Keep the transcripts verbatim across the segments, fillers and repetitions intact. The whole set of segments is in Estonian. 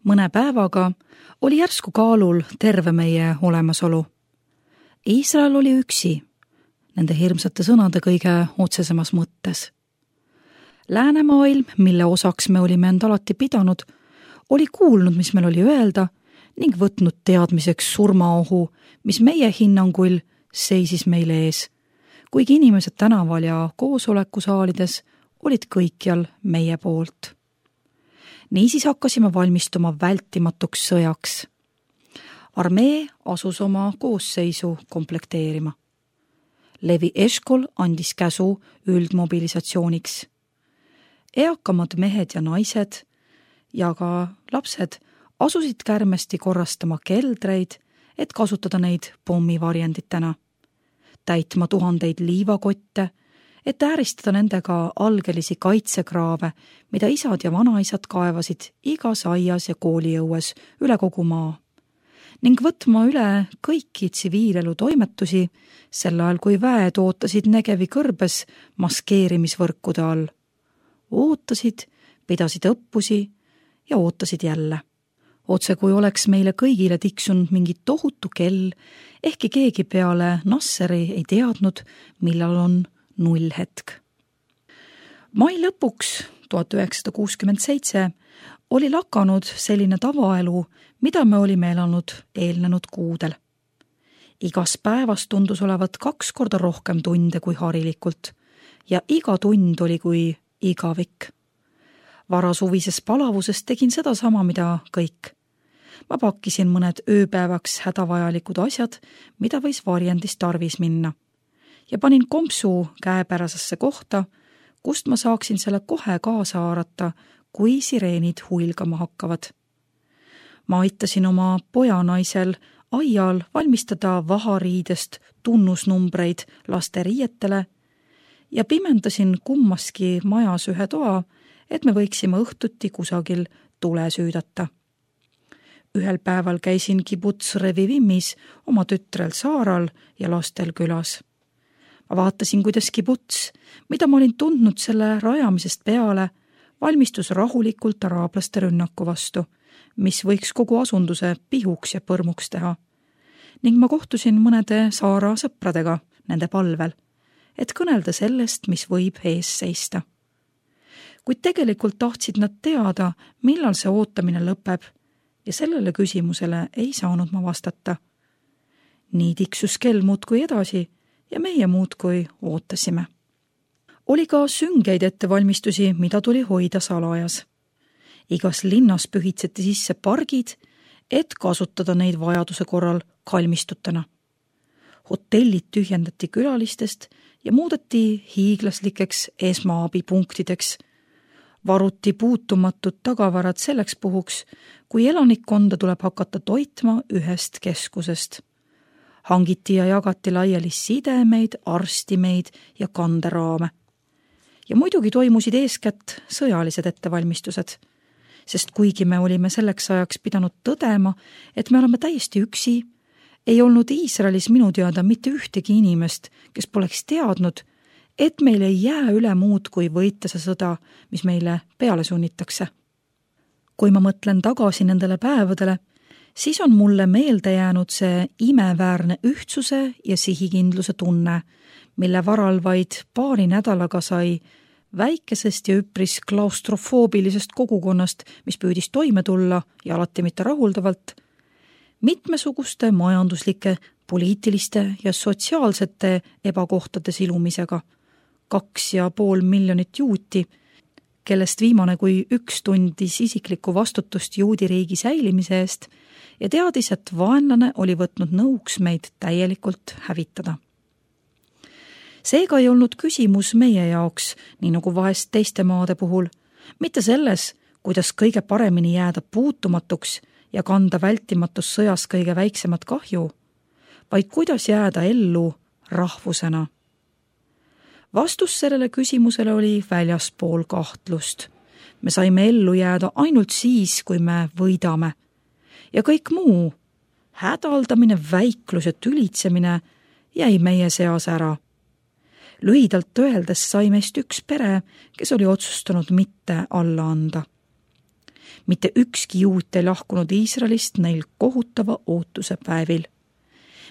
Mõne päevaga oli järsku kaalul terve meie olemasolu. Iisrael oli üksi, nende hirmsate sõnade kõige otsesemas mõttes. Läänemaailm, mille osaks me olime end alati pidanud, oli kuulnud, mis meil oli öelda ning võtnud teadmiseks surmaohu, mis meie hinnangul seisis meil ees, kuigi inimesed tänaval ja koosolekusaalides olid kõikjal meie poolt. Niisiis hakkasime valmistuma vältimatuks sõjaks. Armee asus oma koosseisu komplekteerima. Levi Eshkol andis käsu üldmobilisatsiooniks. Eakamad mehed ja naised ja ka lapsed asusid kärmesti korrastama keldreid, et kasutada neid pommivarjenditena, täitma tuhandeid liivakotte, et ääristada nendega algelisi kaitsekraave, mida isad ja vanaisad kaevasid igas aias ja kooliõues üle kogu maa, ning võtma üle kõiki tsiviilelu toimetusi, sel ajal kui väed ootasid Negevi kõrbes maskeerimisvõrkude all. Ootasid, pidasid õppusi ja ootasid jälle. Otse kui oleks meile kõigile tiksunud mingi tohutu kell, ehkki keegi peale Nasseri ei teadnud, millal on nullhetk. Mai lõpuks tuhat üheksasada kuuskümmend seitse oli lakanud selline tavaelu, mida me olime elanud eelnenud kuudel. Igas päevas tundus olevat kaks korda rohkem tunde kui harilikult ja iga tund oli kui igavik. Varasuvises palavuses tegin seda sama, mida kõik. Ma pakkisin mõned ööpäevaks hädavajalikud asjad, mida võis varjendis tarvis minna, ja panin kompsu käepärasesse kohta, kust ma saaksin selle kohe kaasa haarata, kui sireenid huilgama hakkavad. Ma aitasin oma pojanaisel aial valmistada vahariidest tunnusnumbreid laste riietele ja pimendasin kummaski majas ühe toa, et me võiksime õhtuti kusagil tule süüdata. Ühel päeval käisin kibuts Revivimmis oma tütrel Saaral ja lastel külas. Ma vaatasin, kuidas kibuts, mida ma olin tundnud selle rajamisest peale, valmistus rahulikult araablaste rünnaku vastu, mis võiks kogu asunduse pihuks ja põrmuks teha. Ning ma kohtusin mõnede Saara sõpradega nende palvel, et kõnelda sellest, mis võib ees seista. Kuid tegelikult tahtsid nad teada, millal see ootamine lõpeb, ja sellele küsimusele ei saanud ma vastata. Nii tiksus kell muudkui edasi ja meie muudkui ootasime. Oli ka süngeid ettevalmistusi, mida tuli hoida salajas. Igas linnas pühitseti sisse pargid, et kasutada neid vajaduse korral kalmistutena. Hotellid tühjendati külalistest ja muudeti hiiglaslikeks esmaabipunktideks. Varuti puutumatud tagavarad selleks puhuks, kui elanikkonda tuleb hakata toitma ühest keskusest. Hangiti ja jagati laiali sidemeid, arstimeid ja kanderaame. Ja muidugi toimusid eeskätt sõjalised ettevalmistused, sest kuigi me olime selleks ajaks pidanud tõdema, et me oleme täiesti üksi, ei olnud Iisraelis minu teada mitte ühtegi inimest, kes poleks teadnud, et meil ei jää üle muud kui võita see sõda, mis meile peale sunnitakse. Kui ma mõtlen tagasi nendele päevadele, siis on mulle meelde jäänud see imeväärne ühtsuse ja sihikindluse tunne, mille varal vaid paari nädalaga sai väikesest ja üpris klaustrofoobilisest kogukonnast, mis püüdis toime tulla ja alati mitte rahuldavalt, mitmesuguste majanduslike, poliitiliste ja sotsiaalsete ebakohtade silumisega, kaks ja pool miljonit juuti, kellest viimane kui üks tundis isiklikku vastutust juudi riigi säilimise eest ja teadis, et vaenlane oli võtnud nõuks meid täielikult hävitada. Seega ei olnud küsimus meie jaoks, nii nagu vahest teiste maade puhul, mitte selles, kuidas kõige paremini jääda puutumatuks ja kanda vältimatus sõjas kõige väiksemat kahju, vaid kuidas jääda ellu rahvusena. Vastus sellele küsimusele oli väljaspool kahtlust. Me saime ellu jääda ainult siis, kui me võidame. Ja kõik muu, hädaldamine, väiklus ja tülitsemine jäi meie seas ära. Lühidalt öeldes sai meist üks pere, kes oli otsustanud mitte alla anda. mitte ükski juut ei lahkunud Iisraelist neil kohutava ootuse päevil.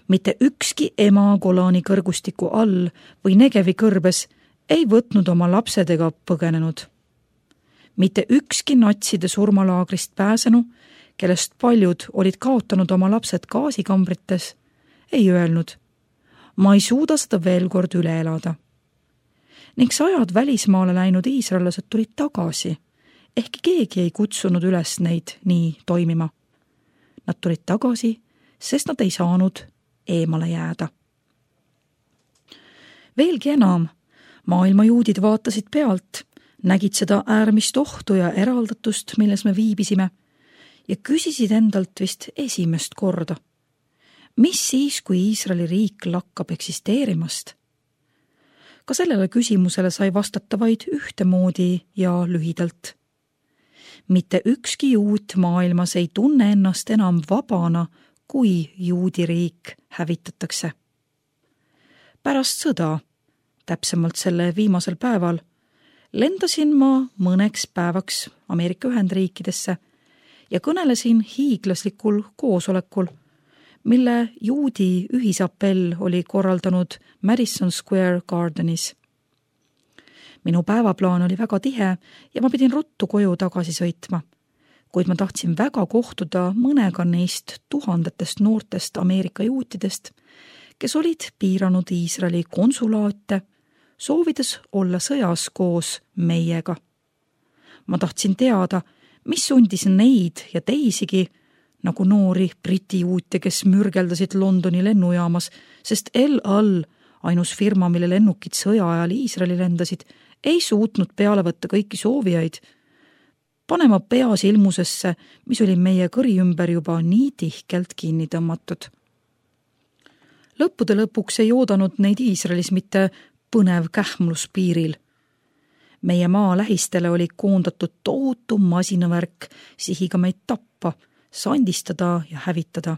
Mitte ükski ema Golani kõrgustiku all või Negevi kõrbes ei võtnud oma lapsed ega põgenenud. Mitte ükski natside surmalaagrist pääsenu, kellest paljud olid kaotanud oma lapsed gaasikambrites, ei öelnud, ma ei suuda seda veel kord üle elada. Ning sajad välismaale läinud iisraellased tulid tagasi, ehkki keegi ei kutsunud üles neid nii toimima. Nad tulid tagasi, sest nad ei saanud eemale jääda. Veelgi enam, maailma juudid vaatasid pealt, nägid seda äärmist ohtu ja eraldatust, milles me viibisime, ja küsisid endalt vist esimest korda. Mis siis, kui Iisraeli riik lakkab eksisteerimast? Ka sellele küsimusele sai vastata vaid ühtemoodi ja lühidalt. Mitte ükski juut maailmas ei tunne ennast enam vabana, kui juudi riik hävitatakse. Pärast sõda, täpsemalt selle viimasel päeval, lendasin ma mõneks päevaks Ameerika Ühendriikidesse ja kõnelesin hiiglaslikul koosolekul, mille juudi ühisapell oli korraldanud Madison Square Gardenis. Minu päevaplaan oli väga tihe ja ma pidin ruttu koju tagasi sõitma, kuid ma tahtsin väga kohtuda mõnega neist tuhandetest noortest Ameerika juutidest, kes olid piiranud Iisraeli konsulaate, soovides olla sõjas koos meiega. Ma tahtsin teada, mis sundis neid ja teisigi, nagu noori briti juute, kes mürgeldasid Londoni lennujaamas, sest El Al, ainus firma, mille lennukid sõja ajal Iisraeli lendasid, ei suutnud peale võtta kõiki soovijaid, panema pea silmusesse, mis oli meie kõri ümber juba nii tihkelt kinni tõmmatud. Lõppude lõpuks ei oodanud neid Iisraelis mitte põnev kähmlus piiril. Meie maa lähistele oli koondatud tohutu masinavärk sihiga meid tappa, sandistada ja hävitada.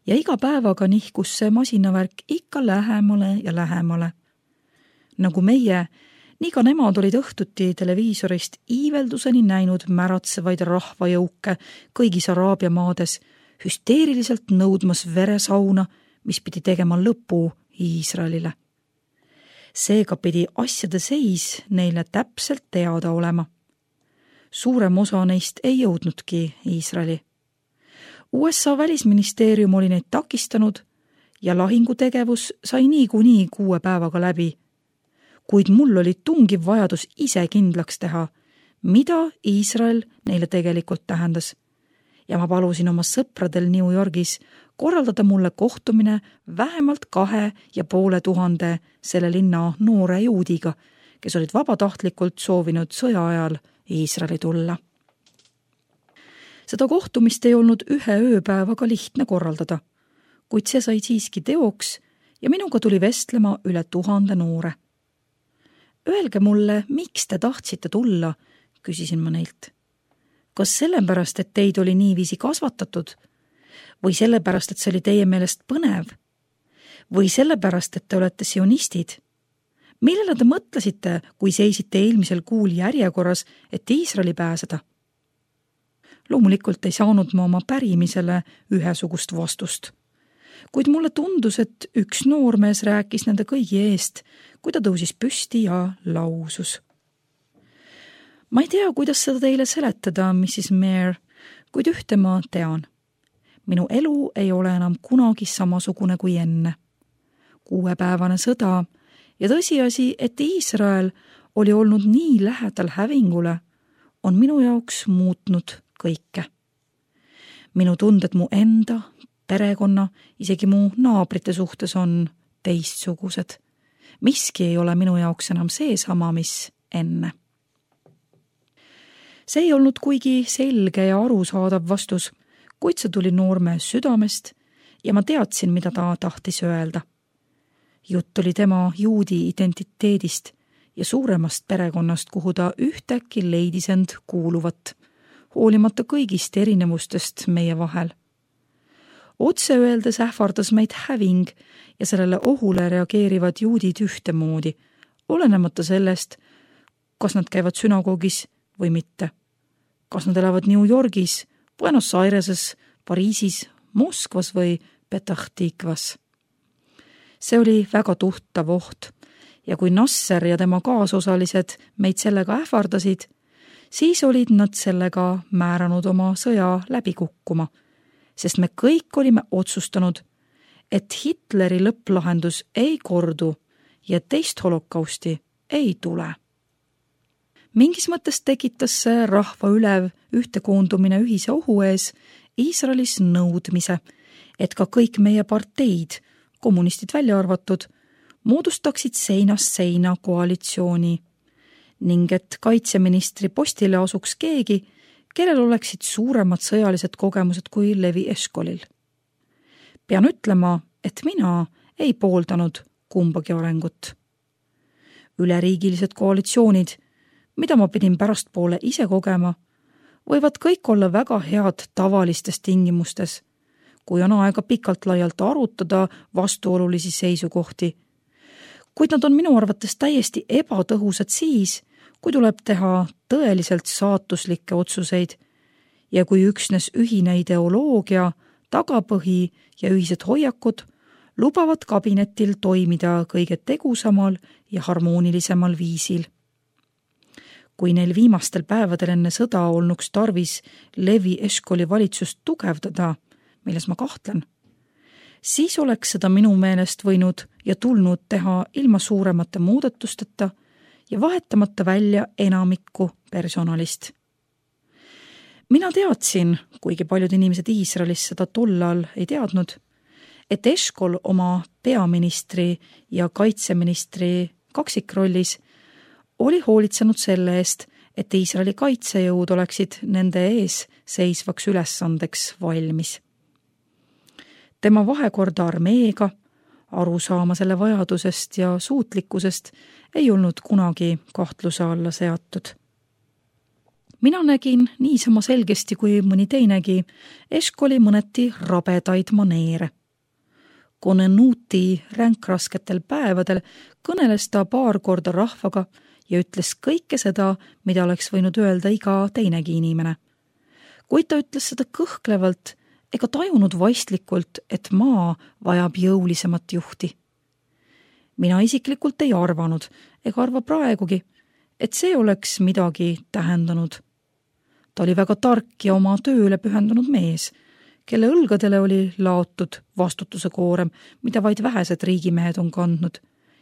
Ja iga päevaga nihkus see masinavärk ikka lähemale ja lähemale. Nagu meie, nii ka nemad olid õhtuti televiisorist iivelduseni näinud märatsevaid rahvajõuke kõigis Araabia maades, hüsteeriliselt nõudmas veresauna, mis pidi tegema lõpu Iisraelile. Seega pidi asjade seis neile täpselt teada olema. Suurem osa neist ei jõudnudki Iisraeli. U S A välisministeerium oli neid takistanud ja lahingutegevus sai niikuinii kuue päevaga läbi, kuid mul oli tungiv vajadus ise kindlaks teha, mida Iisrael neile tegelikult tähendas. Ja ma palusin oma sõpradel New Yorgis korraldada mulle kohtumine vähemalt kahe ja poole tuhande selle linna noore juudiga, kes olid vabatahtlikult soovinud sõja ajal Iisraeli tulla. Seda kohtumist ei olnud ühe ööpäevaga lihtne korraldada, kuid see sai siiski teoks ja minuga tuli vestlema üle tuhande noore. Öelge mulle, miks te tahtsite tulla, küsisin ma neilt. Kas sellepärast, et teid oli niiviisi kasvatatud? Või sellepärast, et see oli teie meelest põnev? Või sellepärast, et te olete sionistid? Millele te mõtlesite, kui seisite eelmisel kuul järjekorras, et Iisraeli pääseda? Loomulikult ei saanud ma oma pärimisele ühesugust vastust. Kuid mulle tundus, et üks noormees rääkis nende kõigi eest, kui ta tõusis püsti ja lausus. Ma ei tea, kuidas seda teile seletada, missis Mayer, kuid ühte ma tean. Minu elu ei ole enam kunagi samasugune kui enne. Kuuepäevane sõda ja tõsiasi, et Iisrael oli olnud nii lähedal hävingule, on minu jaoks muutnud kõike. Minu tunded mu enda, perekonna, isegi mu naabrite suhtes on teistsugused. Miski ei ole minu jaoks enam seesama, mis enne. See ei olnud kuigi selge ja arusaadav vastus, kuid see tuli noormees südamest ja ma teadsin, mida ta tahtis öelda. Jutt oli tema juudi identiteedist ja suuremast perekonnast, kuhu ta ühtäkki leidis end kuuluvat, hoolimata kõigist erinevustest meie vahel. Otse öeldes ähvardas meid häving ja sellele ohule reageerivad juudid ühtemoodi, olenemata sellest, kas nad käivad sünagoogis või mitte. kas nad elavad New Yorgis, Buenos Aireses, Pariisis, Moskvas või Petah Tikvas. See oli väga tuhtav oht ja kui Nasser ja tema kaasosalised meid sellega ähvardasid, siis olid nad sellega määranud oma sõja läbi kukkuma, sest me kõik olime otsustanud, et Hitleri lõpplahendus ei kordu ja teist holokausti ei tule. Mingis mõttes tekitas see rahva ülev ühtekoondumine ühise ohu ees Iisraelis nõudmise, et ka kõik meie parteid, kommunistid välja arvatud, moodustaksid seinast seina koalitsiooni ning et kaitseministri postile asuks keegi, kellel oleksid suuremad sõjalised kogemused kui Levi Eshkolil. Pean ütlema, et mina ei pooldanud kumbagi arengut. Üleriigilised koalitsioonid, mida ma pidin pärastpoole ise kogema, võivad kõik olla väga head tavalistes tingimustes, kui on aega pikalt laialt arutada vastuolulisi seisukohti. Kuid nad on minu arvates täiesti ebatõhusad siis, kui tuleb teha tõeliselt saatuslikke otsuseid ja kui üksnes ühine ideoloogia, tagapõhi ja ühised hoiakud lubavad kabinetil toimida kõige tegusamal ja harmoonilisemal viisil. Kui neil viimastel päevadel enne sõda olnuks tarvis Levi Eshkoli valitsust tugevdada, milles ma kahtlen, siis oleks seda minu meelest võinud ja tulnud teha ilma suuremate muudatusteta ja vahetamata välja enamikku personalist. Mina teadsin, kuigi paljud inimesed Iisraelis seda tollal ei teadnud, et Eshkol oma peaministri ja kaitseministri kaksikrollis oli hoolitsenud selle eest, et Iisraeli kaitsejõud oleksid nende ees seisvaks ülesandeks valmis. Tema vahekorda armeega, aru saama selle vajadusest ja suutlikkusest ei olnud kunagi kahtluse alla seatud. Mina nägin niisama selgesti kui mõni teinegi Eshkoli mõneti rabedaid maneere. Konenuuti ränkrasketel päevadel kõneles ta paar korda rahvaga ja ütles kõike seda, mida oleks võinud öelda iga teinegi inimene. Kuid ta ütles seda kõhklevalt ega tajunud vaistlikult, et maa vajab jõulisemat juhti. Mina isiklikult ei arvanud ega arva praegugi, et see oleks midagi tähendanud. Ta oli väga tark ja oma tööle pühendunud mees, kelle õlgadele oli laotud vastutuse koorem, mida vaid vähesed riigimehed on kandnud,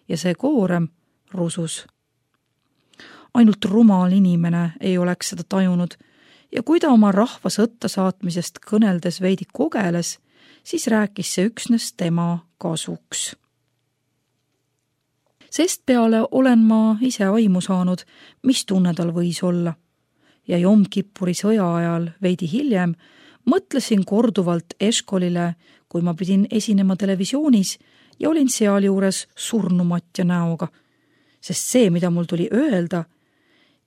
ja see koorem rusus. Ainult rumal inimene ei oleks seda tajunud, ja kui ta oma rahva sõtta saatmisest kõneldes veidi kogeles, siis rääkis see üksnes tema kasuks. Sest peale olen ma ise aimu saanud, mis tunne tal võis olla. Ja Jom Kippuri sõja ajal veidi hiljem mõtlesin korduvalt Eshkolile, kui ma pidin esinema televisioonis ja olin sealjuures surnumatja näoga, sest see, mida mul tuli öelda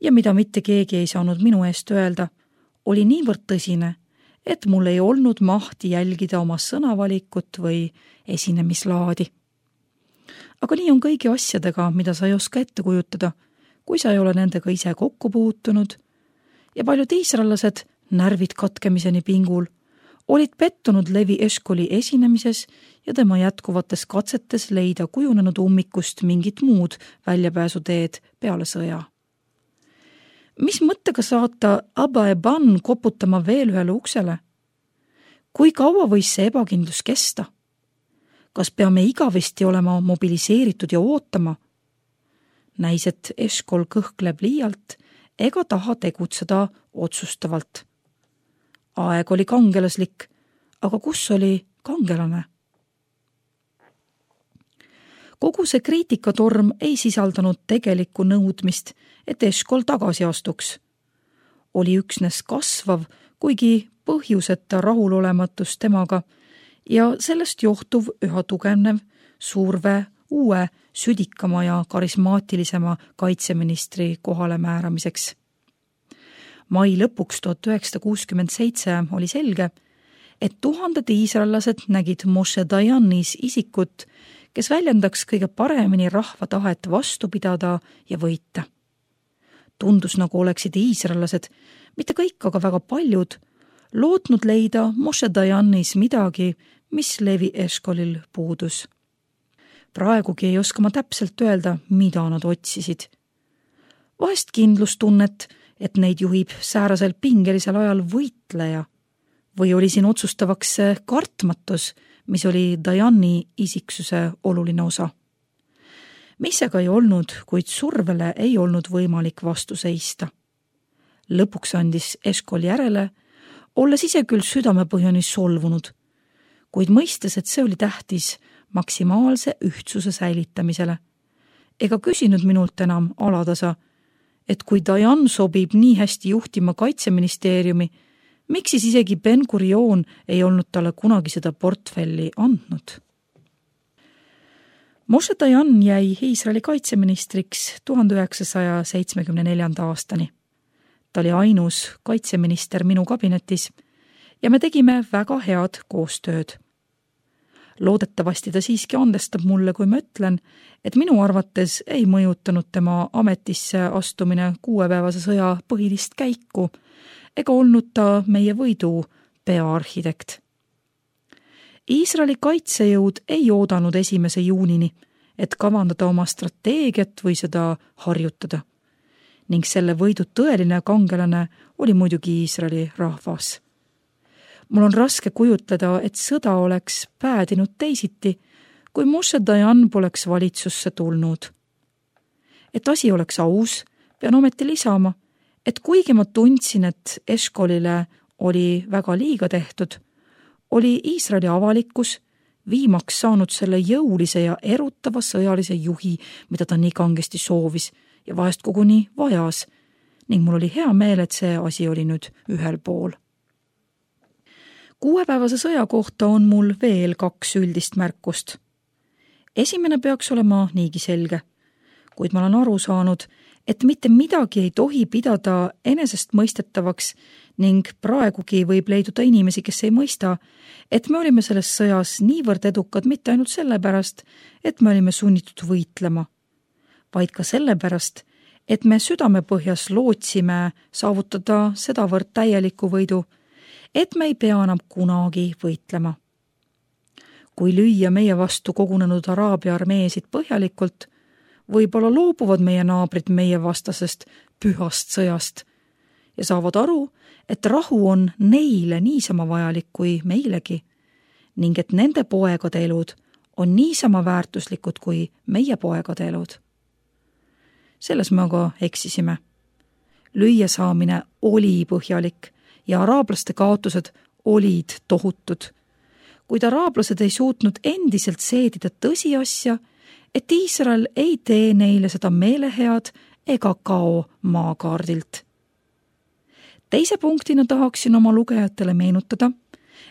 ja mida mitte keegi ei saanud minu eest öelda, oli niivõrd tõsine, et mul ei olnud mahti jälgida oma sõnavalikut või esinemislaadi. Aga nii on kõigi asjadega, mida sa ei oska ette kujutada, kui sa ei ole nendega ise kokku puutunud, ja paljud iisraellased, närvid katkemiseni pingul, olid pettunud Levi Eshkoli esinemises ja tema jätkuvates katsetes leida kujunenud ummikust mingit muud väljapääsuteed peale sõja. Mis mõttega saata Abba Eban koputama veel ühele uksele? Kui kaua võis see ebakindlus kesta? Kas peame igavesti olema mobiliseeritud ja ootama? Näis, et Eshkol kõhkleb liialt ega taha tegutseda otsustavalt. Aeg oli kangelaslik, aga kus oli kangelane? Kogu see kriitikatorm ei sisaldanud tegelikku nõudmist, et Eshkol tagasi astuks. Oli üksnes kasvav, kuigi põhjuseta rahulolematus temaga ja sellest johtuv üha tugevnev surve uue, südikama ja karismaatilisema kaitseministri kohale määramiseks. Mai lõpuks tuhat üheksasada kuuskümmend seitse oli selge, et tuhanded iisraellased nägid Moshe Dayanis isikut, kes väljendaks kõige paremini rahva tahet vastu pidada ja võita. Tundus, nagu oleksid iisraellased, mitte kõik, aga väga paljud, lootnud leida Moshe Dayanis midagi, mis Levi Eshkolil puudus. Praegugi ei oska ma täpselt öelda, mida nad otsisid. Vahest kindlustunnet, et neid juhib säärasel pingelisel ajal võitleja, või oli siin otsustavaks kartmatus, mis oli Dayani isiksuse oluline osa. Mis aga ei olnud, kuid survele ei olnud võimalik vastu seista. Lõpuks andis Eshkol järele, olles ise küll südamepõhjani solvunud, kuid mõistes, et see oli tähtis maksimaalse ühtsuse säilitamisele. Ega küsinud minult enam alatasa, et kui Dayan sobib nii hästi juhtima kaitseministeeriumi, miks siis isegi Ben Gurion ei olnud talle kunagi seda portfelli andnud? Moshe Dayan jäi Iisraeli kaitseministriks tuhande üheksasaja seitsmekümne neljanda aastani. Ta oli ainus kaitseminister minu kabinetis ja me tegime väga head koostööd. Loodetavasti ta siiski andestab mulle, kui ma ütlen, et minu arvates ei mõjutanud tema ametisse astumine kuuepäevase sõja põhilist käiku ega olnud ta meie võidu peaarhitekt. Iisraeli kaitsejõud ei oodanud esimese juunini, et kavandada oma strateegiat või seda harjutada. Ning selle võidu tõeline kangelane oli muidugi Iisraeli rahvas. Mul on raske kujutleda, et sõda oleks päädinud teisiti, kui Moshe Dayan poleks valitsusse tulnud. Et asi oleks aus, pean ometi lisama, et kuigi ma tundsin, et Eshkolile oli väga liiga tehtud, oli Iisraeli avalikkus viimaks saanud selle jõulise ja erutava sõjalise juhi, mida ta nii kangesti soovis ja vahest koguni vajas, ning mul oli hea meel, et see asi oli nüüd ühel pool. Kuuepäevase sõja kohta on mul veel kaks üldist märkust. Esimene peaks olema niigi selge, kuid ma olen aru saanud, et mitte midagi ei tohi pidada enesest mõistetavaks ning praegugi võib leiduda inimesi, kes ei mõista, et me olime selles sõjas niivõrd edukad mitte ainult sellepärast, et me olime sunnitud võitlema, vaid ka sellepärast, et me südamepõhjas lootsime saavutada sedavõrd täieliku võidu, et me ei pea enam kunagi võitlema. Kui lüüa meie vastu kogunenud Araabia armeesid põhjalikult, võib-olla loobuvad meie naabrid meie vastasest pühast sõjast ja saavad aru, et rahu on neile niisama vajalik kui meilegi ning et nende poegade elud on niisama väärtuslikud kui meie poegade elud. Selles me aga eksisime. Lüüa saamine oli põhjalik ja araablaste kaotused olid tohutud, kuid araablased ei suutnud endiselt seedida tõsiasja, et Iisrael ei tee neile seda meelehead ega kao maakaardilt. Teise punktina tahaksin oma lugejatele meenutada,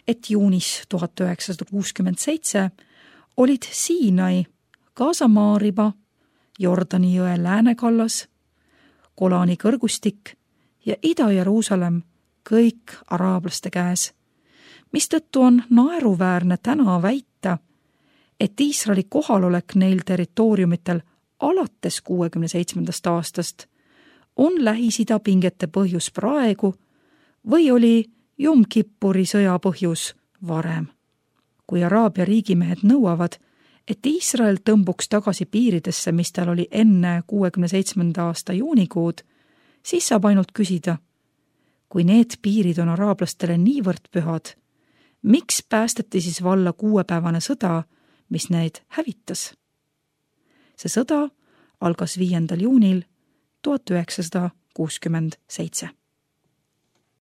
et juunis tuhat üheksasada kuuskümmend seitse olid Siinai, Gaza maariba, Jordani jõe läänekallas, Golani kõrgustik ja Ida-Jeruusalemm kõik araablaste käes, mistõttu on naeruväärne täna väita, et Iisraeli kohalolek neil territooriumitel alates kuuekümne seitsmendast aastast on Lähis-Ida pingete põhjus praegu või oli Jom Kippuri sõja põhjus varem. Kui Araabia riigimehed nõuavad, et Iisrael tõmbuks tagasi piiridesse, mis tal oli enne kuuekümne seitsmenda aasta juunikuud, siis saab ainult küsida, kui need piirid on araablastele niivõrd pühad, miks päästeti siis valla kuuepäevane sõda, mis neid hävitas? See sõda algas viiendal juunil tuhat üheksasada kuuskümmend seitse.